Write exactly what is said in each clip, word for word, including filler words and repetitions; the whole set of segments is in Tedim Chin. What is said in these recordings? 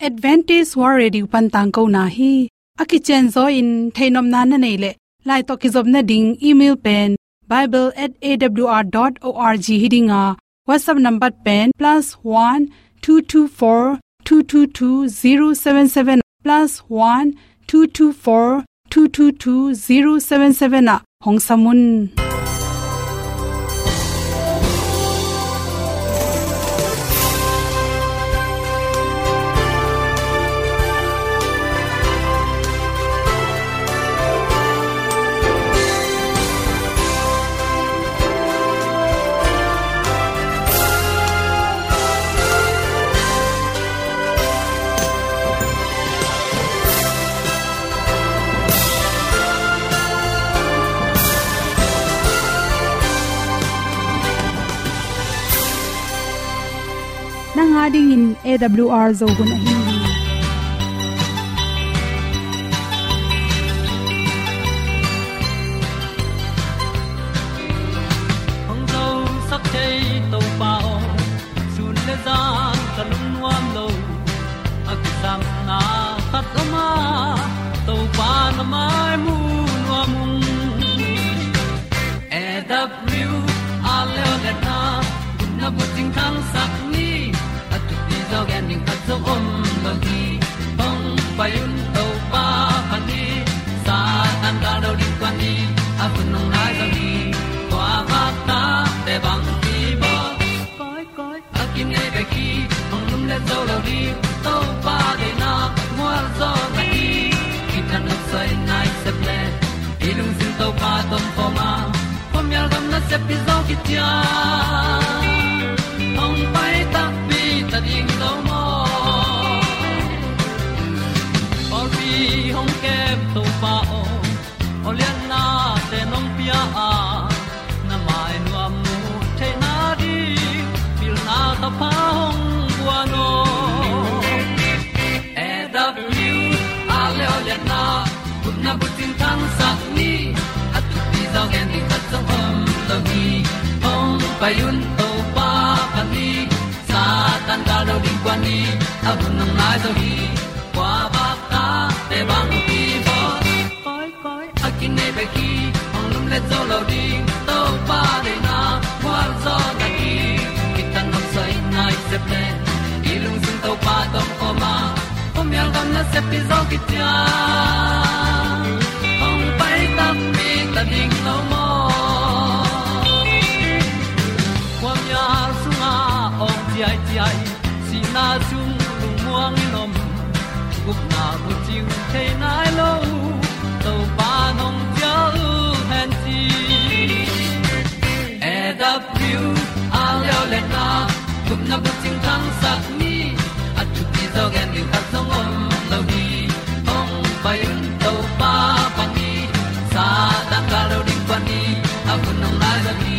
Adventist World Radio pan tangkona hi. A kicianzaw in theihnopna na neih leh, lai tawh kizopna ding email pen bible at A W R dot O R G hi ding a, WhatsApp number pen plus one two two four two two two zero seven seven, plus one two two four two two two zero seven seven ah hong sam un. Nang a dingin A W R Zo hun ahi hi. Hong zosak thei Topa aw, sun le zan ka lungnuam lo. A kisapna khat om a, Topa na mai mu nuam ung. A W R leo le na, na bucing thangsak ni, a thupi zaw gen ding khat zong om lo hi. Hong pai un Topa pan hi, Satan gal do ding tuan ni, a hun hong nai zaw hi. Tua bak ta te bang hi bawl. Koi, koi, a kinei bek hi, hong lum le zo lo ding, Topa deihna mual zaw na hi. Kitang nok soi nai sep le, i lungsim Topa tawh kawm a, khuamial gam nasep hi zaw kician. Hong pai takpi ta ding lo maw? Pawlpi hong kem Topa aw, aw lianna te nong pia a, na mai nuam mu theihna ding, pilna thapha hong guan aw. A W R leo le na, gupna bucing thangsak ni, a thupi zaw gen ding khat zong om lo hi. Hong pai un Topa pan hi, Satan gal do ding kuan ni, a hun hong nai zaw hi. Kua bak ta te bang hi bawl. Koi, koi, a kinei bek hi, hong lum le zo lo ding, Topa deihna mual zaw na hi. Kitang nok soi nai sep le, i lungsim Topa tawh kawm a, khuamial gam nasep hi zaw kician. Hong pai takpi ta ding lo maw? Khuamial sungah awng ciaiciai, sihna sung lungmuang in om, gupna bucing thei nai lo, Topa nong cial hen ci. A W R leo le na, gupna bucing thangsak ni, a thupi zaw gen ding khat zong om lo hi. Hong pai un Topa pan hi, Satan gal do ding kuan ni, a hun hong nai zaw hi.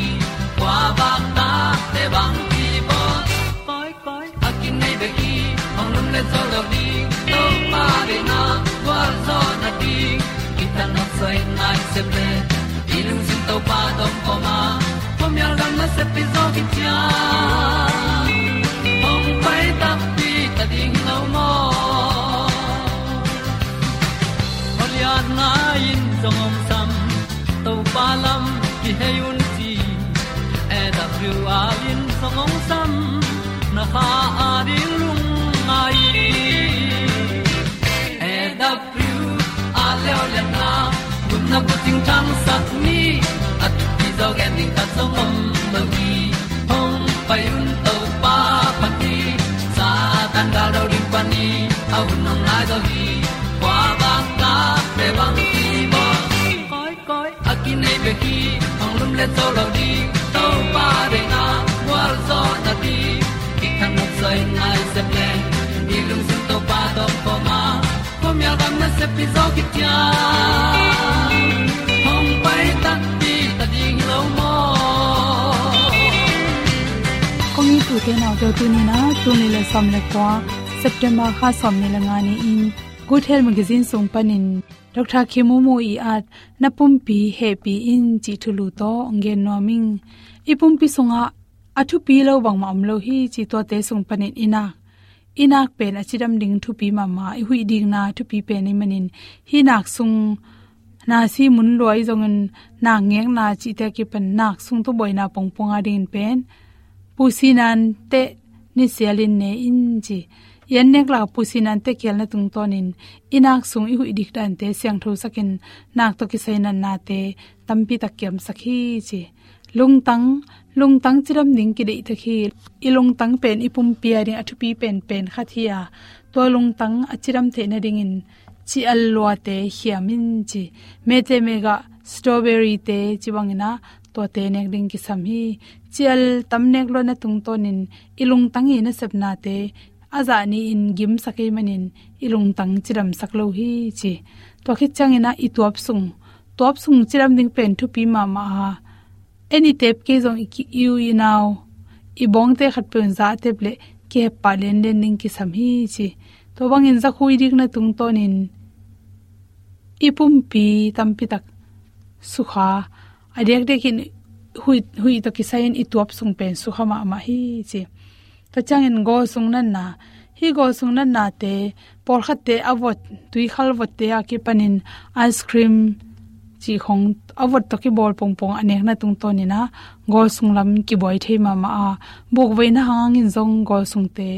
Kua bak ta te bang hi bawl. Koi, koi, a kinei bek hi, hong lum le zo lo ding, Topa deihna gual zaw na ding. Kitang nok soi nai sep le, i lungsim Topa tawh kawm a, khuamial gam nasep hi zaw kician. Hong pai takpi ta ding lo maw? Aw lianna in zong hong sam, Topa lam kihei un ci. A W R in zong hong sam, na kha a ding lungngai. A W R leo le na, gupna bucing thangsak ni, a thupi zaw gen ding khat zong om lo hi. Hong pai un Topa pan hi, Satan gal do ding kuan ni, a hun hong nai zaw hi. Kua bak ta te bang hi bawl. Koi, koi, a kinei bek hi, hong lum le zo lo ding, Topa deihna gual zaw na ding. Kitang nok soi nai sep le, i lungsim Topa tawh kawm a, khuamial gam nasep hi zaw kician. Hong pai takpi ta ding lo maw? Kong it u te nau te, tuni in ah, tul nih le sawm le kua, September kha sawmnih le nga ni-in, Good Health Magazine sung panin Doctor Khin Maung Maw i at Na Pumpi Hehpih In cih thulu tawh hong gen nuam ing. I pumpi sungah a thupi lo bangmah om lo hi cih tuate sung panin i na, i nak pen a cidam ding thupi mahmah, i huih dikna thupi pen ahih manin, hih nak sung nasi mun lua i zongin, nak ngekna cihte a kipan nak sung tawh buaina pongpong a dingin pen, pusi nante nisialin ne in ci. I an nek lak pusi nante kialna tungtawnin i nak sung i huih dik dante siangthosakin, nak tawh kisai natnate tampi tak kiamsak hi ci. Lungtang, lungtang cidam ding kideihtak hi. I lungtang pen i pumpi a ding a thupi penpen khat hi a, tua lungtang a cidam theih nadingin cial luate hiam in ci. Mete mega strawberry te ci bangin ah, tuate nek ding kisam hi. Cial tam nek luatna tungtawnin i lungtang i nasepnate a zah ni-in gimsak ahih manin i lungtang cidamsak lo hi ci. Tua khit ciangin ah i tuap sung, tuap sung cidam ding pen thupi mahmah a, en i tep kei zong i ki-, i u i nau, i bawngte khatpeuh in zah a tep leh kihep pah lianlian ding kisam hi ci. Tua bangin zakhu i dikna tungtawnin i pumpi tampi tak sukha, a diakdiakin huih, huih tawh kisai-in i tuap sung pen sukha mahmah hi ci. Tua ciangin gawl sung natna, hih gawl sung natnate, pawlkhatte a vot, tuikhal votte a kipanin ice cream cih khong a vot tawh kibawl pongpong a nekna tungtawnin ah, gawl sung lam kibuai thei mahmah a, bukveina hangin zong gawl sungte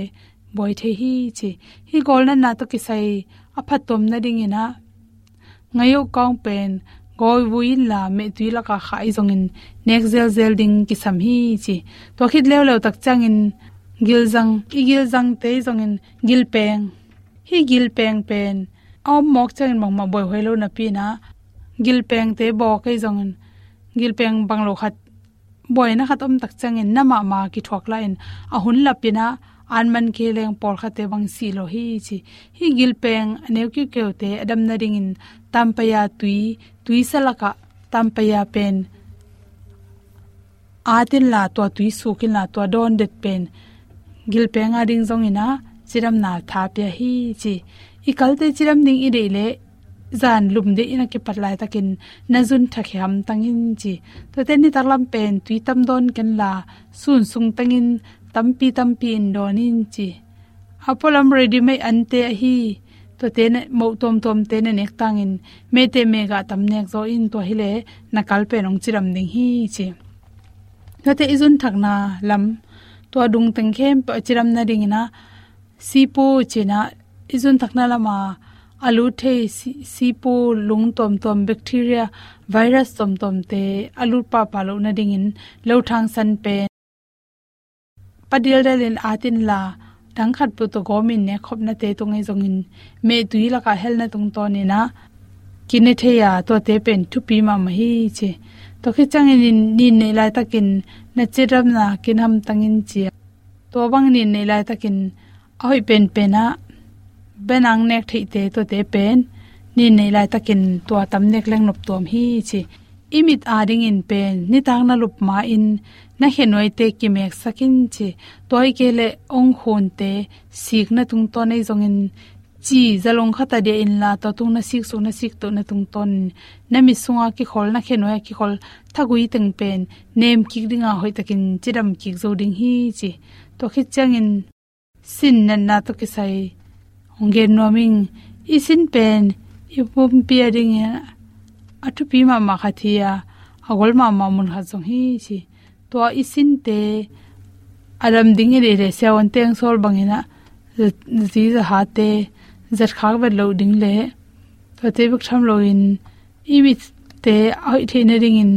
buai thei hi ci. Hih gawl natna tawh kisai a phattuam nadingin ah, ngayoh kawng pen gawl vui inla mehtui laka khah i zongin nek zelzel ding kisam hi ci. Tua khit leuleu tak ciangin gilzang, i gilzangte i zongin gilpeng, hih gilpeng pen a om mawk ciangin bangmah buaihuai lo napi-in ah, gilpengte bawk i zongin gilpeng bang lo khat, buaina khat om tak ciangin na mahmah kithuak lai-in, a hun lapin ah an man kei leng pawlkhatte bang si lo hi ci. Hih gilpeng a neu kiukeute a dam nadingin tampaya tui, tuisa lakah tampaya pen at inla, tua tui suk inla, tua dawn det pen gilpeng a ding zongin ah cidamna tha pia hi ci. I kalte cidam ding i deih leh zan lum deihin a kipat laitakin na zun thak hi hamtang in ci. Tuate nitak lam pen tui tam dawn kenla, sun sung tengin tampi tampi in dawn in ci. A pualam ready-made ante ahi, tuate na moh tuamtuamte na nek tangin, mete mega tam nek zaw in, tua hileh na kal pen hong cidam ding hi ci. Tuate i zun thakna lam, tua dung teng khempeuh a cidam nadingin ah, sipu ci-in ah, i zun thakna lama a lut thei si-, sipu lung tuamtuam, bacteria, virus tuamtuamte a lut pahpah loh nadingin lothang san pen pa dialdialin at inla, dang khatpeuh tawh gawmin nek khopnate tung ahi zongin mehtui lakah helna tungtawnin ah kine thei a, tuate pen thupi mahmah hi ci. Tua khit ciangin nin, nin neih laitakin na cidamna kin hamtang in ci a, tua bang nin neih laitakin a hoih penpen ah benang nek theihte, tuate pen nin neih laitakin tua tam nek leng noptuam hi ci. I mit a dingin pen nitak na lup ma-in na khenuaite kimeksak in ci. Tua hi kei leh ongkhunte sikna tungtawn ahi zongin, ci zalong khat a dia inla, tua tung na sik suk, na sik toh na tungtawn, na mit sunga kikhol, na khenuai a kikhol thagui teng pen nem kik dinga hoihtakin cidam kik zo ding hi ci. Tua khit ciangin sin natna tawh kisai hong gen nuam ing. I sin pen i pumpi a dingin a thupi mahmah khat hi a, a gol mahmah mun khat zong hi ci. Tua i sinte a dam ding i deih leh siavuante hong sawl bangin ah, zi zahate zat khak vet loh ding leh, tuate bek tham loin i mitte a hoih theih nadingin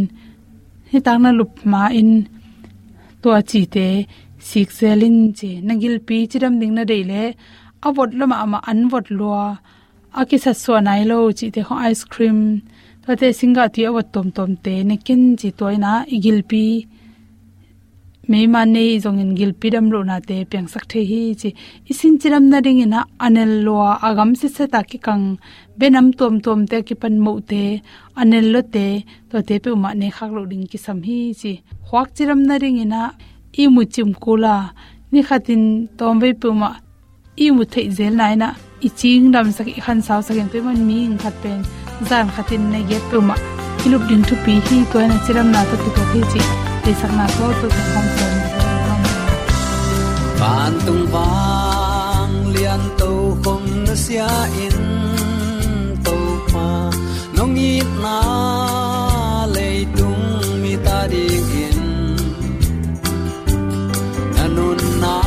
nitak na lup ma-in tua cite sik zel in ci. Na gilpi cidam ding na deih leh a vot lua mahmah, an vot lua, a kisatsuah nai lo cihte khong, ice cream, tuate singgah tui a vot tuamtuamte ne ken ci. Tua in ah i gilpi, meiman nei zongin gilpi dam lohnate piangsak thei hi ci. I sin cidam nadingin ah a nel lua, a gam sitset a kikang, benam tuamtuamte a kipan mohte, a nel luate, tuate peuhmah ne khak loh ding kisam hi ci. Khuak cidam nadingin ah ihmut cim kul a, ni khatin tawmvei peuhmah ihmut theih zelna in ah i cing damsak, i khansausak in, tua ahih man mihing khat pen zan khatin nai giat peuhmah i lup ding thupi hi. Tua in ah cidamna tawh kituak hi cih deihsakna tawh, tawh kong sawn. Vantung vang Pian tokhom nusia in Topa, nong itna leitung mite adingin na nunna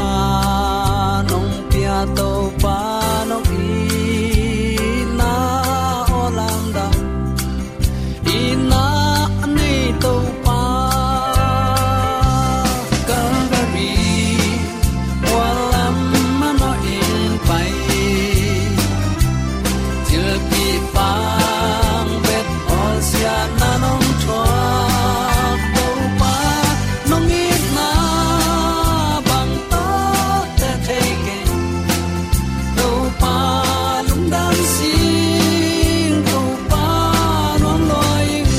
nong pia Topa, nong itna aw lamdang. Itna nei Topa, Calvary mual lam manawh in pai. Thilpih pang bet bawlsiatna nong thuak Topa, nong itna bang tawh teh thei keng. Topa lungdam sing, Topa nuam lua ing.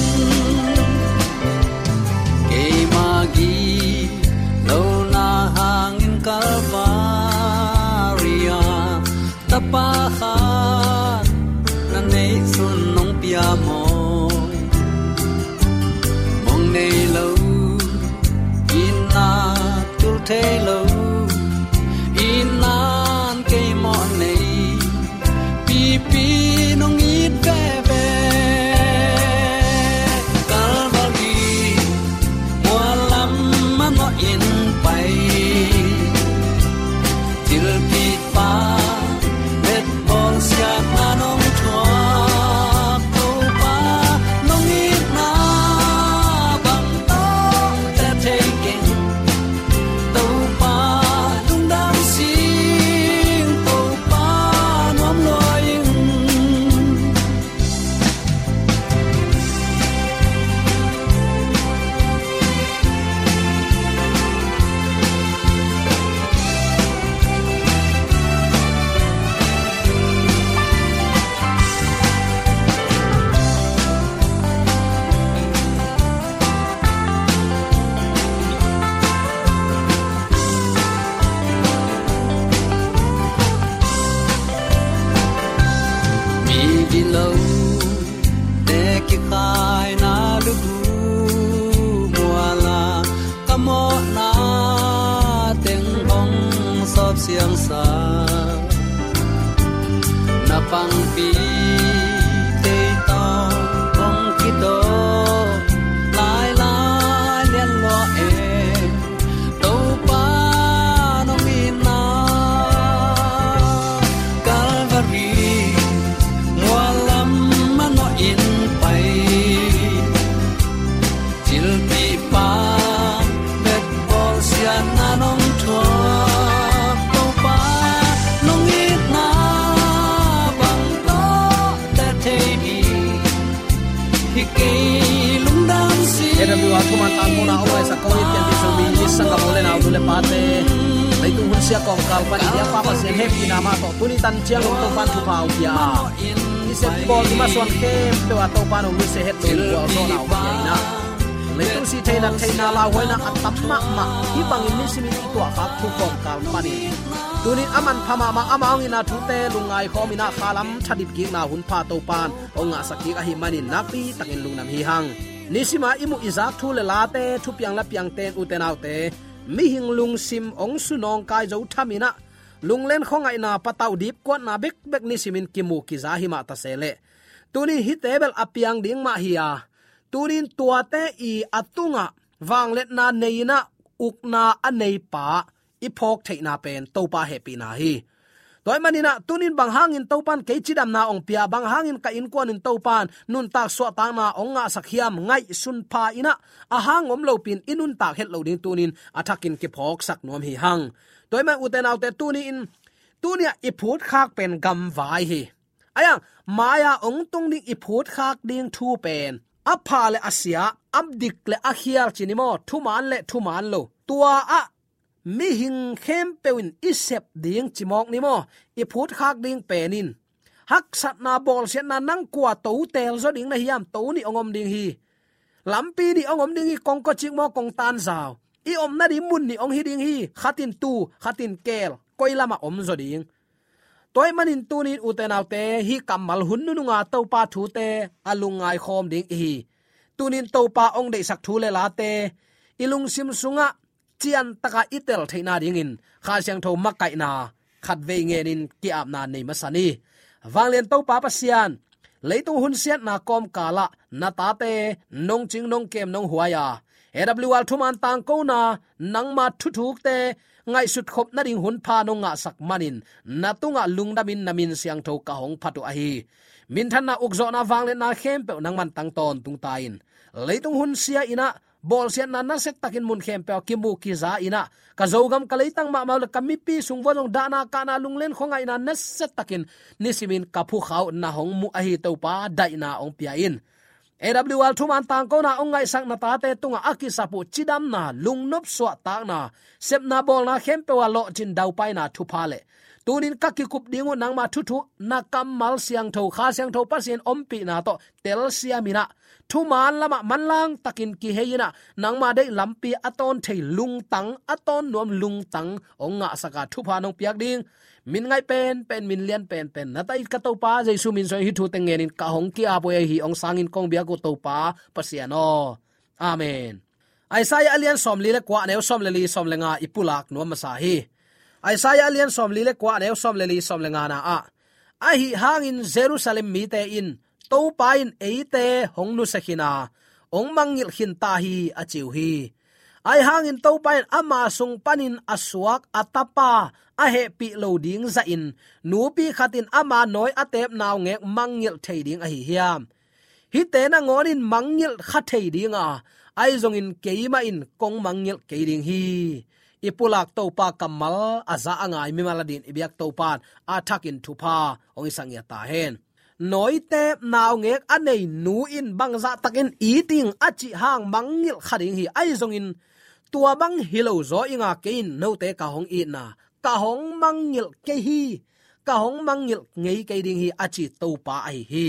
Keima gilo na hangin Calvary ah Tapa khat na neih sun nong pia maw? Mong nei lo, itna tul thei lo, itna in kei mawh nei, pipi nong it veve. Calvary mual lam manawh in pai. Thilpih pang bet bawlsiatna nong thuak Topa, nong itna bang tawh teh thei keng. Topa lungdam sing, Topa nuam lua ing. Mi gilote kikhaina lubu mual ah ka mawhna teng hong sawp siangsa. Na pangpi tei tawh kong kidawk lailai lian lua e. Topa nong itna Calvary mual lam manawh in pai. Thilpih pang bet bawlsiatna nong thuak Topa, nong itna bang tawh teh thei hi. Hi kei lungdam sing. A W R thuman tangkona om ngai sak ko i pian ti so mi ni sangam u le nau tu le pate. Leitung hun sia kawngkal pan i dia pa Pasian hehpihna mah tawh tuni tan ciang om Topan thupha hong pia a. I sep i bawl i masuan khempeuh ah Topan hong nusia het lo in gualzawhna hong pia in ah. Leitung sih theihna theihna lauhuaina a tam mahmah hih bangin nisimin i tuahkhak thu kawngkal panin tunin a manpha mahmah ama hong itna thute lungngai khawm in ah khalam thadip kikna hun pha Topan hong ngahsak kik ahih manin nakpi takin lungdam hi hang. Nisima i muh i zak thu le late, thupiang le piangte in ute naute, mihing lungsim hong sunawngkai zo tham in ah lunglen khuangaihna, patauh dipkuatna bekbek nisimin kimu kiza hi mah ta se leh, tuni hihte bel a piang ding mah hi a, tunin tuate i a tungah vangliatna nei in ah ukna a neipa i phawk theihna pen Topa hehpihna hi. Tua ahih manin ah tunin bang hangin Topan kei cidamna hong pia, bang hangin ka innkuanin Topan nuntak suahtakna hong ngahsak hiam ngaihsun pha in ah, a hang om lopin i nuntak het lo ding tunin a thakin kiphawksak nuam hi hang. Tua ahih man ute naute, tuni in tuni-ah i phutkhak pen gamvai hi. Ahi hang mai-a hong tung ding i phutkhak ding thu pen a pha le a sia, a dik le a khial ci ni maw, thuman le thuman lo, tua ah mihing khempeuh in i sep ding ci mawk ni maw, i phutkhak ding pen in haksatna, bawlsiatna, nang kua to teel zaw ding na hiam, to nih hong om ding hi. Lampi nih hong om ding hi, kong kawcik maw, kong tanzau. I omna ding mun nih hong hi ding hi, khatin tu, khatin keel, koi lamah om zaw ding. Tua ahih manin tunin ute naute, hih kammal hun nununga Topa thute a lungngai khawm ding i hi. Tunin Topa hong deihsak thu le late i lungsim sungah ciantakah i tel theihna dingin Kha Siangtho makaihna khatvei ngenin ki-apna nei masa ni. Vanglian Topa Pasian, leitung hunsiatna kawmkalah na tate nong cing, nong kem, nong huai a, A W R thuman tangkona nangma thuthukte ngaihsut khop nading hun pha nong ngahsak manin na tungah lungdamin na min siangtho ka hong phat uh ahi. Minthanna, ukzawhna, vangliatna khempeuh nangman tang tawntung ta in, leitung hunsia in ah, bawlsiatna nasia takin mun khempeuh ah kimu kiza in ah, ka Zogam, ka leitang mahmah uh le ka mipi sung vua zong dahna kahna, lunglen khuangaihna nasia takin nisimin ka phukha uh na hong muh ahi Topa, daihna hong pia in. A W R thuman tangkona hong ngaihsak na tate tungah a kisap uh cidamna, lungnop suahtakna, sepna bawlna khempeuh ah lawhcin daupaina thupha le tunin ka kikup ding uh nangma thuthuk, na kammal siangtho, Kha Siangtho Pasian ompihna tawh telsiam in ah, thuman lamah manlang takin kihei in ah, nangma deih lampi a tawn thei lungtang, a tawn nuam lungtang hong ngahsak a, thupha nong piak ding, min ngaih penpen, min lian penpen na ta it ka Topa Jesu min suangin hih thute ngenin ka hong ki-ap uh ahi. Hong sangin kong biak uh Topa Pasian aw. Amen. Isaiah a lian sawmli le kua, a neu sawm le li, sawm le nga i pulak nuam masa hi. Isaiah a lian sawmli le kua, a neu sawm le li, sawm le nga na ah, ahi hangin Jerusalem mite in Topa in eite hong nusia khin a, hong mangngilh khin ta hi, a ci uh hi. Ahi hangin Topa in ama sung panin a suak a tapa a hehpih lo ding zahin, nupi khat in ama nawi a teep naungek mangngilh thei ding ahi hiam? Hihte nangawnin mangngilh kha thei ding a, ahi zongin keimah in kong mangngilh kei ding hi. I pulak Topa kammal a za a ngai mimal adingin i biak Topa in a thakin thupha hong hisak ngiat ta hen. Nawiteep naungek a nei nu in bangzah takin it ing a cih hang mangngilh kha ding hi. Ahi zongin tua bang hi lo zaw ing a, kei in note ka hong itna, ka hong mangngilh kei hi, ka hong mangngilh ngei kei ding hi, a ci Topa ahi hi.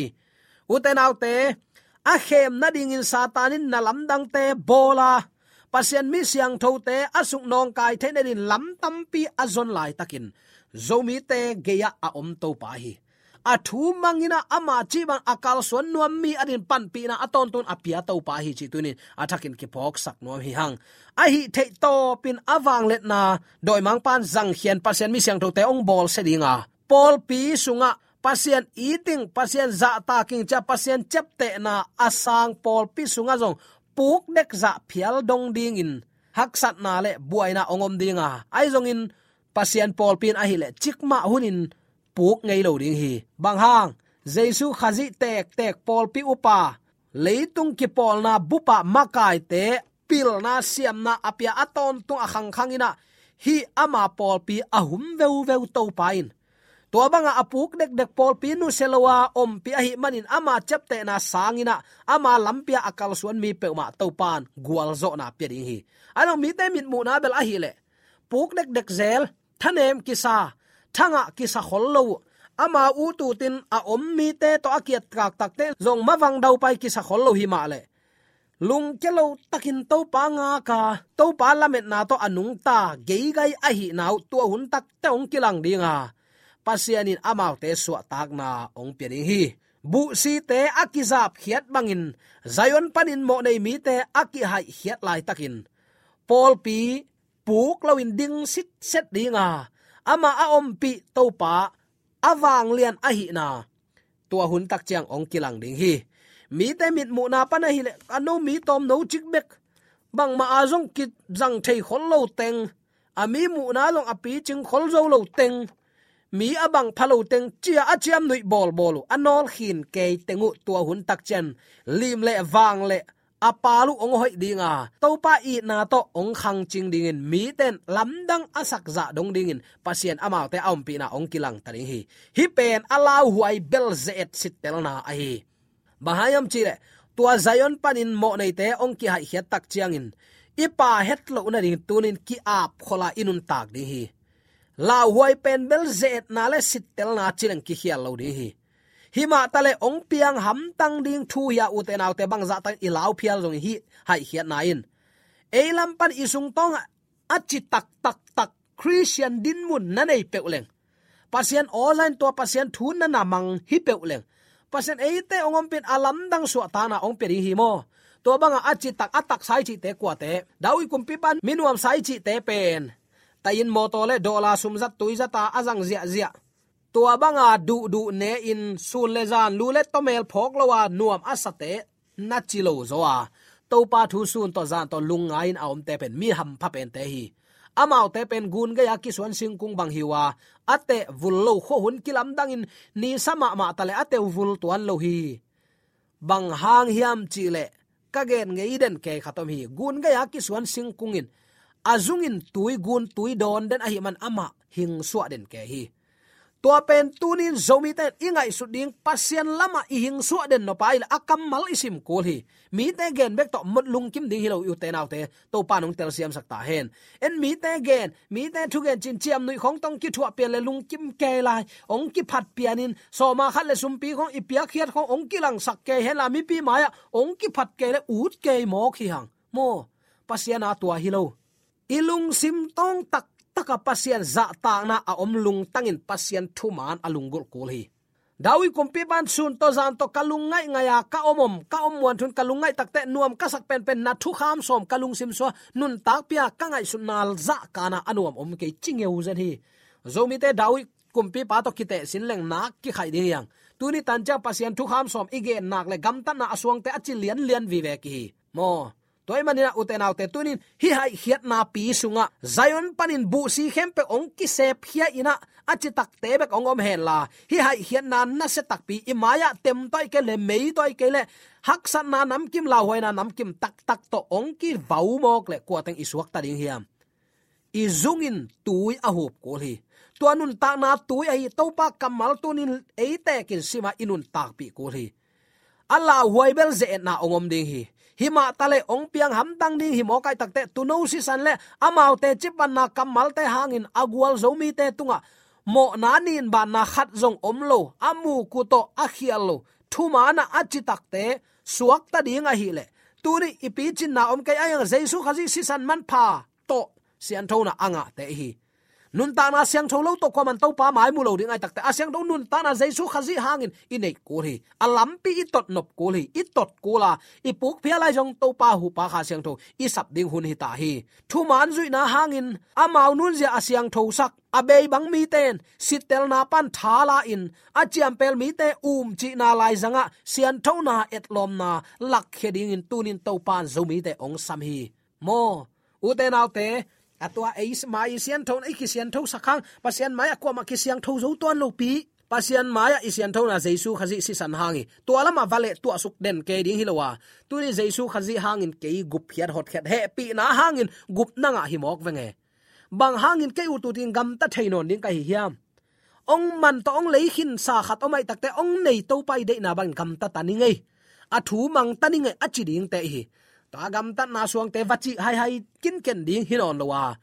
Ute naute, a khem nadingin Satan in na lamdangte bawl a, Pasian mi siangthote a suk nawngkai theih nadingin lam tampi a zon laitakin Zomite gei-ah a om Topa hi. A thu mangin ah ama cih bang a kalsuan nuam mi adingin panpihna a tawntung a pia Topa hi cih tunin a thakin kiphawksak nuam hi hang. Ahi theih tawpin a vangliatna dawimangpa'n zangkhia in Pasian mi siangthote hong bawlsia ding a, pawlpi sungah Pasian it ing, Pasian zahtak ing ci-a Pasian ciaptehna a sang pawlpi sungah zong pukdek zah phial dong dingin haksatna le buaina hong om ding a, ahi zongin Pasian pawlpi in ahih leh cikmah hunin puk ngei lo ding hi. Bang hang? Jesu Khazih tektek, pawlpi upa, leitung kipawlna bup ah makaite pilna siamna a pia a tawntung a khangkhang in ah, hih ama pawlpi a hum veuveu Topa in. Tua bangah a puk dekdek pawlpi nusia lo a ompih ahih manin ama ciaptehna sangin ah ama lampi ah a kalsuan mi peuhmah Topa in gualzawhna pia ding hi. Ahi zong mite mitmuhna bel ahih leh puk dekdek zel, thanem kisa, thangah kisa khol lo uh, amau ut utin a om mite tawh a kiatkaktakte zong mavang daupai kisa khol lo hi mah leh, lungkia lo takin Topa ngak a, Topa lametna tawh a nungta geigai ahihna uh tua hun takte hong kilang ding a, Pasian in amaute suahtakna hong pia ding hi. Buhsite a kizapkhiat bangin Zion panin mawhnei mite a kihaihkhiat laitakin pawlpi puk loin ding sitset ding a, amah a ompih Topa a vanglian ahihna tua hun tak ciang hong kilang ding hi. Mite mitmuhna pan ahih leh a no mi tawm no cik bek, bangmah a zong kizang thei khol lo teng, a mi muhna zong a picing khol zo lo teng, mi a bang pha lo teng ci-a a ciamnuih bawlbawl uh, a nawlkhin kei teng uh tua hun tak ciang lim le vang le a pal uh hong hoih ding a, Topa itna tawh hong khangcing dingin mite in lamdang a sakzah dong dingin Pasian amaute a ompihna hong kilang ta ding hi. Hih pen a lauhuai bel ze-et sittelna ahi. Bang hang hiam cih leh tua Zion panin mawhneite hong kihaihkhiat tak ciangin i pha het loh nading tunin ki-ap khol a i nuntak ding hi. Lauhuai pen bel ze-etna le sittelna ci leng kikhial lo ding hi. Himah taleh hong piang hamtang ding thu hi a, ute naute, bangzah takin i lau phial zongin hih haihkhiatna in ei lam pan i sungtawngah a ci taktaktak Khristian dinmun na nei peuh leng, Pasian aw za in tua Pasian thu na na mang hi peuh leng, Pasian eite hong ompih in a lamdang suahtakna hong pia ding hi maw? Tua bangah a citak, a taksa i cihte kuate, David kumpipa'n mi nuamsa i cihte pen Taih in mawtaw le dawla sumzat tuizata a zang ziahziah, tua banga duhduh ne-in sun le zan lu le tawmel phawk lo a nuam a sate na ci lo zaw a, Topa thu sun tawh zan tawh lungngai-in a omte pen mi hampha pente hi. Amaute pen gun gei-a kisuan singkung bang hi uh a, a teh vul lo khuahun kilamdangin nisa mahmah ta le a teh uh vul tuan lo hi. Bang hang hiam cihleh ka gen ngei den kei khat om hi. Gun gei-a kisuan singkung in a zungin tui gun tui dawn den ahih man amah hingsuah den kei hi. Tua pen tunin Zomite in i ngaihsut ding Pasian lamah i hingsuah den nop a hi le a kammal i sim kul hi. Mite gen bek tawh mot lungkim ding hi lo, i ute naute, Topa in hong telsiamsak ta hen. En mite gen, mite thugen cin ciamnuih khawng tawh hong kithuah pian le lungkim kei lai, hong kiphat pianin sawma khat le sumpi khawng i piakkhiat khawng hong kilangsak kei hen la, mipi mai-ah hong kiphat kei le ut kei mawk hi hang. Maw, Pasian a tua hi lo. I lungsim tawng taktaka Pasian zahtakna a om lungtangin Pasian thuman a lunggulh kul hi. David kumpipa in sun tawh zan tawh ka lungngaih ngaih a ka om om, ka om muanthun ka lungngaih takteh nuam ka sak penpen na thukham sawm ka lungsim sua nuntakpih a ka ngaihsutna zahkana a nuam om kei ci ngeu zen hi. Zomite David kumpipa tawh kiteh sin leng nak kikhaih ding hi hang. Tuni tan ciang Pasian thukham sawm i gen nak le gamtatna a suangte a ci lianlian vive kihi. Maw, tua ahih manin ah ute naute, tunin hih haihkhiatna pi sungah Zion panin buhsi khempeuh hong kisepkhia in ah a citakte bek hong om hen la, hih haihkhiatna nasia takpi i mai-ah tem tawh ahih kei le mei tawh ahih kei le haksatna namkim, lauhuaina namkim taktak tawh hong kivau mawk le kua teng i suakta ding hiam? I zungin tui a hup kul hi. Tua nuntakna tui ahi Topa kammal tunin ei tekin sim a i nuntakpih kul hi. A lauhuai bel ze-etna hong om ding hi. Himah ta le hong piang hamtang ding hi mawk ahih takteh tuuno sisan le amaute cipatna kammalte hangin a gualzo mite tungah mawhna ninbanna khat zong om lo, a muku tawh a khial lo thuman ah a citakte suakta ding ahih leh, tuni i picinna om kei a hi hang, Jesu Khazih sisan manpha tawh sianthona a ngahte hi. Nuntakna siangtho lo tawh kuaman Topa mai mu lo ding ahih takteh a siangtho nuntakna Jesu Khazih hangin i neih kul hi. A lampi i tot nop kul hi. I tot kul a i pukphial lai zong Topa hupa Kha Siangtho i sap ding hun hi ta hi. Thuman zuihna hangin amau nunzia a siangthosak a bei bang mite in sittelna pan tha la-in a ciampel mite umcihna laizangah sianthona etlawmna lakkhia dingin tunin Topa in Zomite hong sam hi. Maw, ute naute, a tua ei mai i sianthona i kisianthosak hang Pasian mai-ah kuamah kisiangtho zo tuan lopi. Pasian mai-ah i sianthona Jesu Khazih sisan hang hi. Tua lamah va leh tuahsuk den kei ding hi lo a, tuni Jesu Khazih hangin kei gupkhiat hotkhiat hehpihna hangin gupna ngah hi mawk veng e. Bang hangin kei u tutin gamta thei nawn ding ka hi hiam? Hong man tawh hong lei khinsa khat om ahih takteh hong nei Topa i deihna bangin gamta ta ning ei. A thu mang ta ning ei a ci dingte hi. Tua gamtatna suangte va cih haihai kinken ding hi nawn lo a,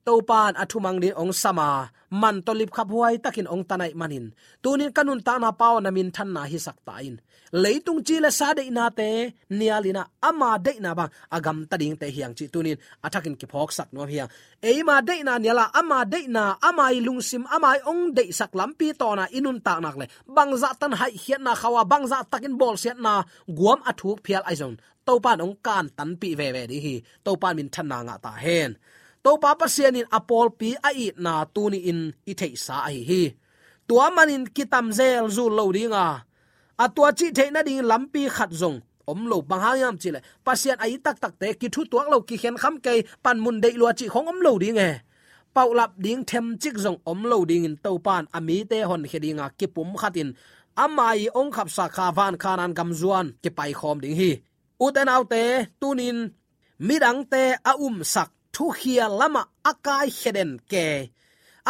Topa in a thu mang ding hong sam a, man tawh lipkhaphuai takin hong tan ahih manin tunin ka nuntakna pau na minthanna hisak ta in, leitung ci le sa deihnate nial in ah ama deihna bang a gamta dingte hi hang cih tunin a thakin kiphawksak nuam hi hang. Eima deihna nial a, ama deihna, ama i lungsim, ama i hong deihsak lampi tawna i nuntak nak le bangzah tan haihkhiatna khau a, bangzah takin bawlsiatna guam a thuk phial ahi zong Topa in hong kantanpih veve ding hi. Topa in minthanna ngah ta hen. Topa Pasian in a pawlpi a itna tuni-in i theihsa ahi hi. Tua manin kitam zelzul lo ding a, a tua cih theih nadingin lampi khat zong om lo. Bang hang hiam cihleh Pasian a it taktakte kithutuak lo, kikhenkham kei, panmun deih lua cih khong om lo ding e. Paulap ding themcik zong om lo dingin Topa in a mite honkhia dinga kipumkhatin ama i hong khapsak Kha van Khanaan gam zuan kipaikhawm ding hi. Ute naute, tunin midangte a umsak, thukhial lamah a kaikhia den kei,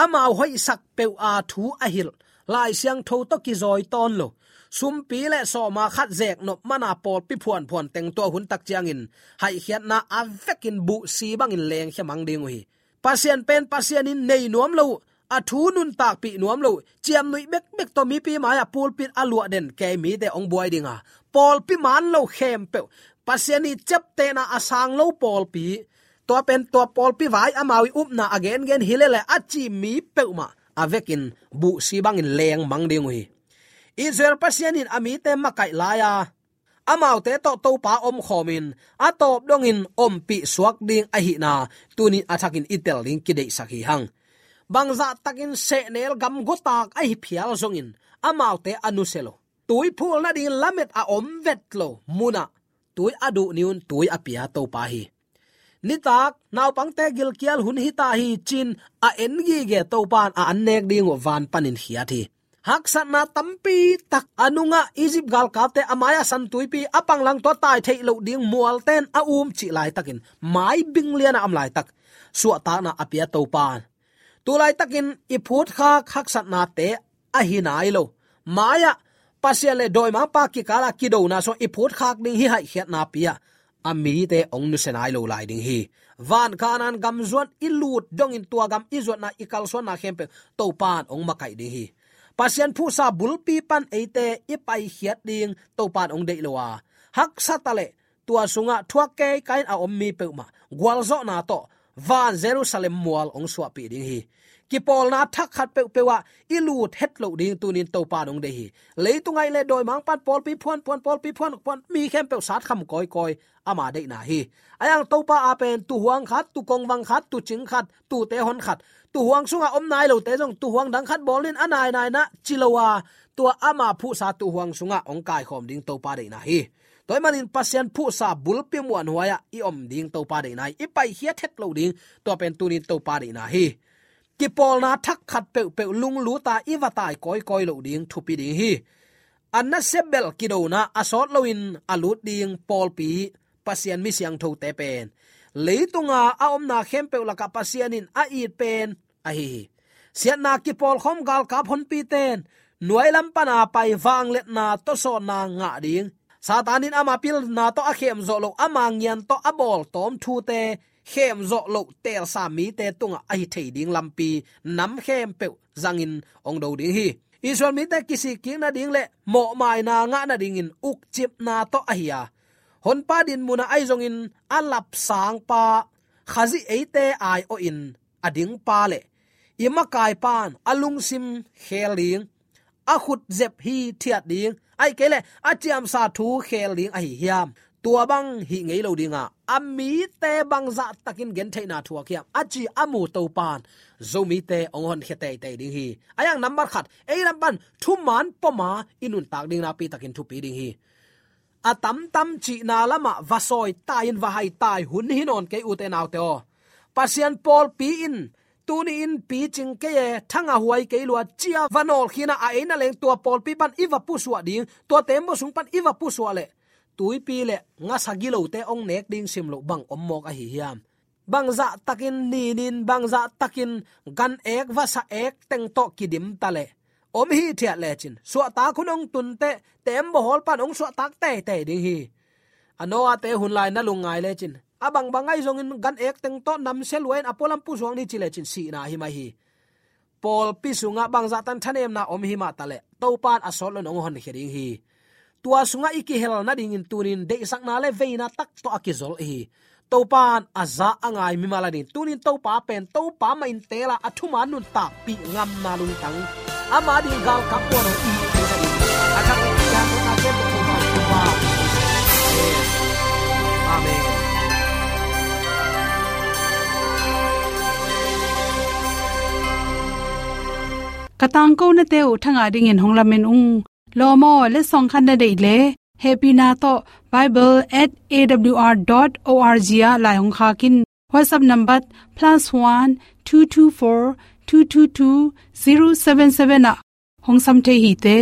amau hoihsak peuh a thu a hilh Lai Siangtho tawh kizawi tawn lo, sumpi le sawma khat zek nop mana pawlpi phuanphuan teng tua hun tak ciangin haihkhiatna a vekin buhsi bangin lengkhia mang ding uh hi. Pasian pen Pasian in nei nuam lo uh, a thu nuntakpih nuam lo uh, ciamnuih bekbek tawh mipi mai-ah pulpit a luah den kei mite hong buai ding a, pawlpi man lo khempeuh Pasian i ciaptehna a sang lo pawlpi, tua pen tua pawlpi vai amau i upna a gengen hi lele a ci mi peuhmah a vekin buhsi bangin leng mang ding uh hi. Israel Pasian in a mite makaih lai-a amaute tawh Topa omkhawmin a tawp dongin ompih suak ding ahihna tunin a thakin i tel ding kideihsak hi hang. Bangzah takin sehnel gamgawtak ahi phial zongin amaute a nusia lo, tui phul nading lamet a om vet lo munah tui a duh ni-un tui a pia Topa hi. Nitak naupangte gilkial hun hita hi ci-in a en gige Topa in a an nek ding uh van panin khiat hi. Haksatna tampi tak a nungah Egypt galkapte a mai-ah San Tuipi a panglang tawh tai theih loh ding mualten a um cih laitakin mai bing liana om laitak suahtakna a pia Topa in tu laitakin i phutkhak haksatnate ahi nai lo, mai-ah Pasian le dawimangpa kikala kidona sungah i phutkhak ding hi haihkhiatna pi-ah a mite hong nusia nai lo lai ding hi. Van Kanaan gam zuan i lut dongin tua gam i zuatna i kalsuanna khempeuh Topa in hong makaih ding hi. Pasian phuhsa bulpi pan eite i paikhiat ding Topa in hong deih lo a, haksa taleh tua sungah thuak keikai-in a om mi peuhmah gualzawhna tawh van Jerusalem mual hong suahpih ding hi. Kipawlna thak khat peuhpeuh ah i lut het loh ding tunin Topa in hong deih hi. Leitungah i le dawimangpan pawlpi phuanphuan, pawlpi phuanphuan, mi khempeuh satkham kawikawi ama deihna hi. Ahi hang Topa a pen tuhuang khat, tukongvang khat, tucing khat, tute hon khat, tuhuang sungah om nai lote zong tuhuang dang khat bawl in a nainaina ci lo a, tua ama phuhsa tuhuang sungah hong kaikhawm ding Topa deihna hi. Tua ahih manin Pasian phuhsa bulpi muanhuai-ah i om ding Topa deihna hi. I paikhiat het loh ding, tua pen tunin Topa deihna hi. Kipawlna thak khat peuhpeuh lunglut a i va tai kawikawi loh ding thupi ding hi. A nasia bel kidona a sawt loin a lut ding pawlpi, Pasian mi siangthote pen leitunga a omna khempeuh lakah Pasian in a it pen ahi hi. Siatna kipawlkhawm galkap honpiten nuailam pana pai vangliatna tawsawnna ngah ding, Satan in ama pilna tawh a khemzawh loh, ama ngian tawh a bawltawm thute khemzawh loh teelsa mite tungah ahi thei ding lampi nam khempeuh zangin hong do ding hi. Israel mite kisikkik nading le mawhmaina ngah nadingin ukcipna tawh ahi a, Honpa dinmunah ahi zongin a lapsangpa Khazih eite aiawhin a dingpa le i makaipan a lungsim khel ding, a khutzep hithiat ding, ahih kei leh a ciamsa thu khel ding ahi hiam? Tua bang hih ngei lo dinga a mite bangzah takin gentheihna thuak hiam a ci a mu Topan Zomite hong honkhia teitei ding hi. Ahi hang nambat khat, ei lam pan thuman poma i nuntak ding nakpi takin thupi ding hi. A tamtam cihna lamah va sawi tai-in va hai tai hun hi nawn kei, ute naute aw. Pasian pawlpi in tuni-in picing kei e, thanga huai kei lua, ci-a va nawlkhin a, a ei na leng tua pawlpi pan i va pusuah ding, tua tembaw sung pan i va pusuah leh tuipi le ngasa gilote hong nek ding sim loh bang om mawk ahi hiam? Bangzah takin ninin, bangzah takin gan ek vasa ek teng tawh kidim ta leh om hithiat lecin suahtak hun hong tun teh tembaw hawl pan hong suahtak teitei ding hi. A Noah-te hun lai na lungngai lecin a bangbang ahi zongin gan ek teng tawh namsia lua-in a pualam pusuak ni ci lecin sihna hi mai hi. Pawlpi sungah bangzah tan thanemna om hi mah ta leh Topan a sawt loin hong honkhia ding hi. Tua sungah i kihel nadingin tunin deihsakna le veina tak tawh a kizol hi. Topan a za a ngai mimal a ding tunin Topa pen Topa mah in teel a, a thuman nuntakpih ngamna lungtang ama ding galkap puan hong i hi nading a thak i kihanthawnna kem Topa. Amen. Ka tangkonate uh thangah dingin hong lamen ung. Lawm aw, letsong khat na deih leh hehpihna tawh bible at A W R dot O R G ah lai hong khak in. WhatsApp number plus one two two four two two two zero seven seven ah hong sam thei hi te.